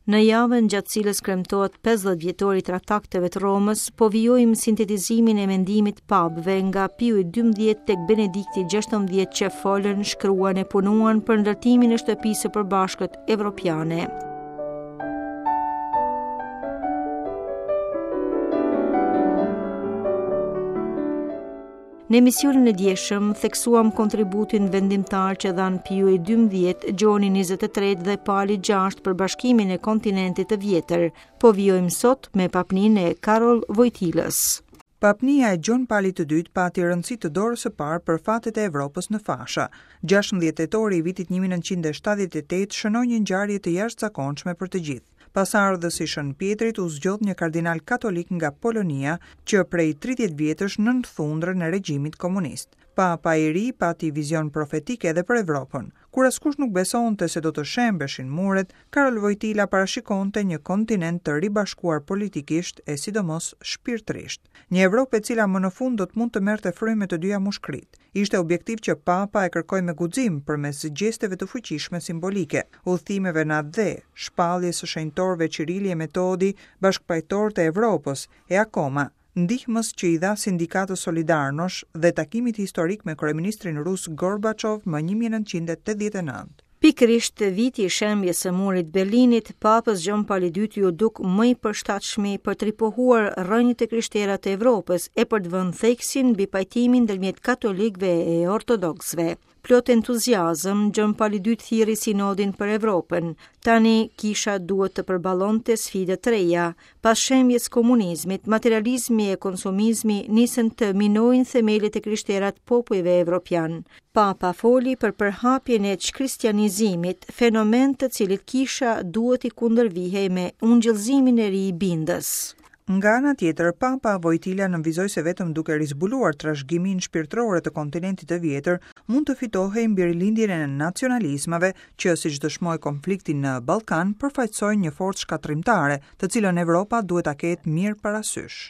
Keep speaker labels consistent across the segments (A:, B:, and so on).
A: Në javën gjatë cilës kremtohet 50 vjetori i Traktateve të Romës, po vijojmë sintetizimin e mendimit papëve nga Piu i 12 tek Benedikti 16 që folën, shkruan e punuan për ndërtimin e shtëpisë së përbashkët evropiane. Në emisionin e djeshëm theksuam kontributin vendimtar që dhanë Piu i 12, Gjoni 23 dhe Pali 6 për bashkimin e kontinentit të vjetër. Po vijojmë sot me papninë e Karol Vojtilës.
B: Papnia e Gjon Palit të Dytë pati rëndësi të dorës së parë për fatet e Evropës në fasha. 16 tetori i vitit 1978 shënoi një ngjarje të jashtëzakonshme për të gjithë. Pasardhës i Shën Pjetrit u zgjodh një kardinal katolik nga Polonia, që prej 30 vjetësh nën thundrën e regjimit komunist. Papa i ri pati vizion profetik edhe për Evropën. Kur askush nuk besonte se do të shembeshin muret, Karol Vojtila parashikonte një kontinent të ribashkuar politikisht e sidomos shpirtërisht. Një Evropë e cila më në fund do të mund të merrte frymë me të dyja mushkëritë. Ishte objektiv që Papa e kërkoi me guxim përmes gjesteve të fuqishme simbolike. udhëtimeve në atdhe, shpalljes së shenjtorëve Qirili e Metodi, bashkëpajtorë të Evropës, e akoma, ndihmës që i dha sindikatës Solidarnosc dhe takimit historik me kryeministrin rus Gorbaçov më 1989.
A: Pikërisht viti i shembjes së murit të Berlinit, Papës Gjon Pali II iu duk më i përshtatshmi për të ripohuar rrënjët e krishtera të Evropës e për të vënë theksin mbi pajtimin ndërmjet katolikëve e ortodoksëve. Plot entuziazëm, Gjon Pali II thirri sinodin për Evropën. Tani kisha duhet të përballonte sfida të reja. Pas shembjes komunizmit, materializmi e konsumizmi nisën të minojnë themelet e krishtera të popujve evropianë. Papa foli për përhapjen e çkristianizimit, fenomen të cilit kisha duhet t'i kundërvihej me ungjillëzimin e ri bindës.
B: Nga ana tjetër, Papa Vojtila nënvizoi se vetëm duke rizbuluar trashëgiminë shpirtërore të kontinentit të vjetër, mund të fitohej mbi rilindjen e nacionalizmave që, siç dëshmoi konflikti në Ballkan, përfaqësojnë një forcë shkatërrimtare, të cilën Evropa duhet ta ketë mirë parasysh.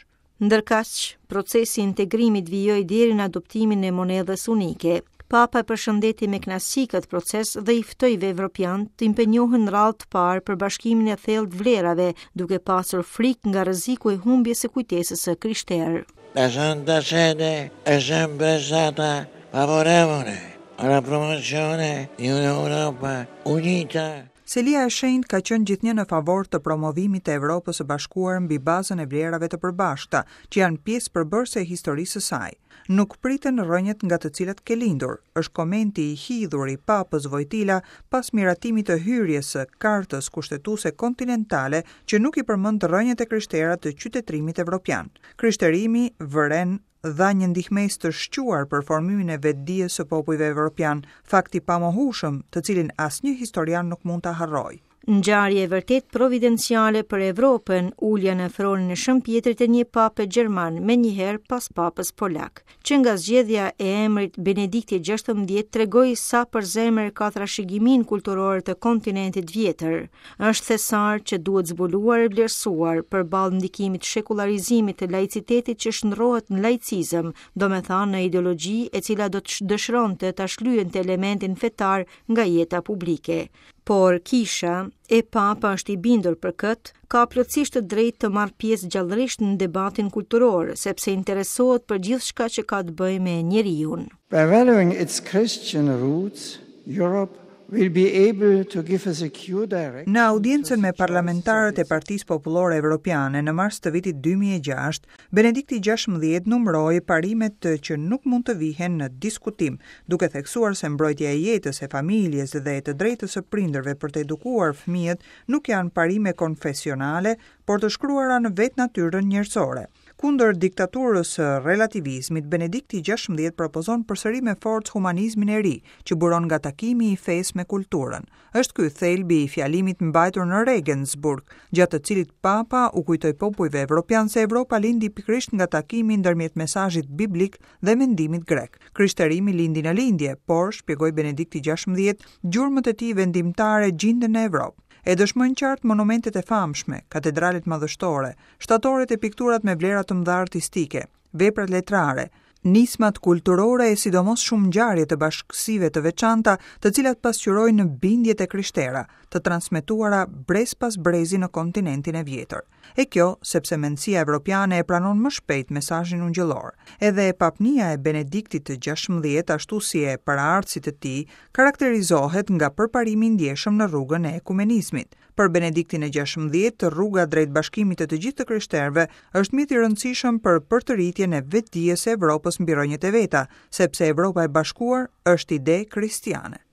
A: Ndërkaq, procesi i integrimit vijoi deri në adoptimin e monedhës unike. Papa e përshëndeti me kënaqësi këtë proces dhe i ftoi evropianët të impenjohen në radhë të parë për bashkimin e thellë të vlerave, duke pasur frikë nga rreziku i humbjes së kujtesës së
C: krishterë. La Santa Sede è sempre stata favorevole alla promozione di un'Europa unita.
B: Selia e Shenjtë ka qenë gjithnjë në favor të promovimit të Evropës së Bashkuar mbi bazën e vlerave të përbashkëta, që janë pjesë përbërëse e historisë së saj. Nuk priten rrënjët nga të cilat ke lindur, është komenti i hidhur i Papës Vojtila pas miratimit të hyrjes së Kartës Kushtetuese Kontinentale që nuk i përmend rrënjët e krishtera të qytetërimit evropian. Krishterimi, vëren, dha një ndihmesë të shquar për formimin e vetëdijes së popujve evropianë, fakt i pamohueshëm, të cilin asnjë historian nuk mund ta harrojë.
A: Ngjarje e vërtetë providenciale për Evropën, ulja në fronin e Shën Pjetrit e një pape gjerman menjëherë pas papës polak. Që nga zgjedhja e emrit Benedikti XVI tregoi sa për zemër ka trashëgiminë kulturore të kontinentit vjetër. Është thesar që duhet zbuluar e vlerësuar përballë ndikimit shekullarizimit të laicitetit që shndërrohet në laicizëm, domethënë në ideologji e cila do të dëshironte ta shlyente elementin fetar nga jeta publike. Por kisha, e papa është i bindur për këtë, ka plotësisht të drejtë të marrë pjesë gjallërisht në debatin kulturor, sepse interesohet për gjithçka që ka të bëjë me njeriun.
C: By valuing its Christian roots, Europe will be able to give a secure
B: direction Në audiencën me parlamentarët e Partisë Popullore Evropiane në mars të vitit 2006, Benedikti XVI numëroi parimet që nuk mund të vihen në diskutim, duke theksuar se mbrojtja e jetës, e familjes dhe e të drejtës së prindërve për të edukuar fëmijët nuk janë parime konfesionale, por të shkruara në vetë natyrën njerëzore. Kundër diktaturës së relativizmit, Benedikti XVI propozon përsëri me forcë humanizmin e ri, që buron nga takimi i fesë me kulturën. Është ky thelbi i fjalimit mbajtur në Regensburg, gjatë të cilit Papa u kujtoi popujve evropianë se Evropa lindi pikërisht nga takimi ndërmjet mesazhit biblik dhe mendimit grek. Krishterimi lindi në Lindje, por, shpjegoi Benedikti XVI, gjurmët e tij vendimtare gjinden në Evropë. E dëshmojnë qartë monumentet e famshme, katedralet madhështore, shtatoret e pikturat me vlera të mëdha artistike, veprat letrare. Nismat kulturore e sidomos shumë ngjarje të bashkësive të veçanta, të cilat pasqyrojnë bindjet e krishtera, të transmetuara brez pas brezi në kontinentin e vjetër. E kjo, sepse mendësia evropiane e pranon më shpejt mesazhin ungjillor. Edhe papnia e Benediktit të 16, ashtu si e paraardhësit të tij, karakterizohet nga përparimi i ndjeshëm në rrugën e ekumenizmit. Për Benediktin e 16, rruga drejt bashkimit të të gjithë të krishterëve është mjet i rëndësishëm për përtëritjen e vetëdijes së Evropës mbi rrënjët e veta, sepse Evropa e bashkuar është ide kristiane.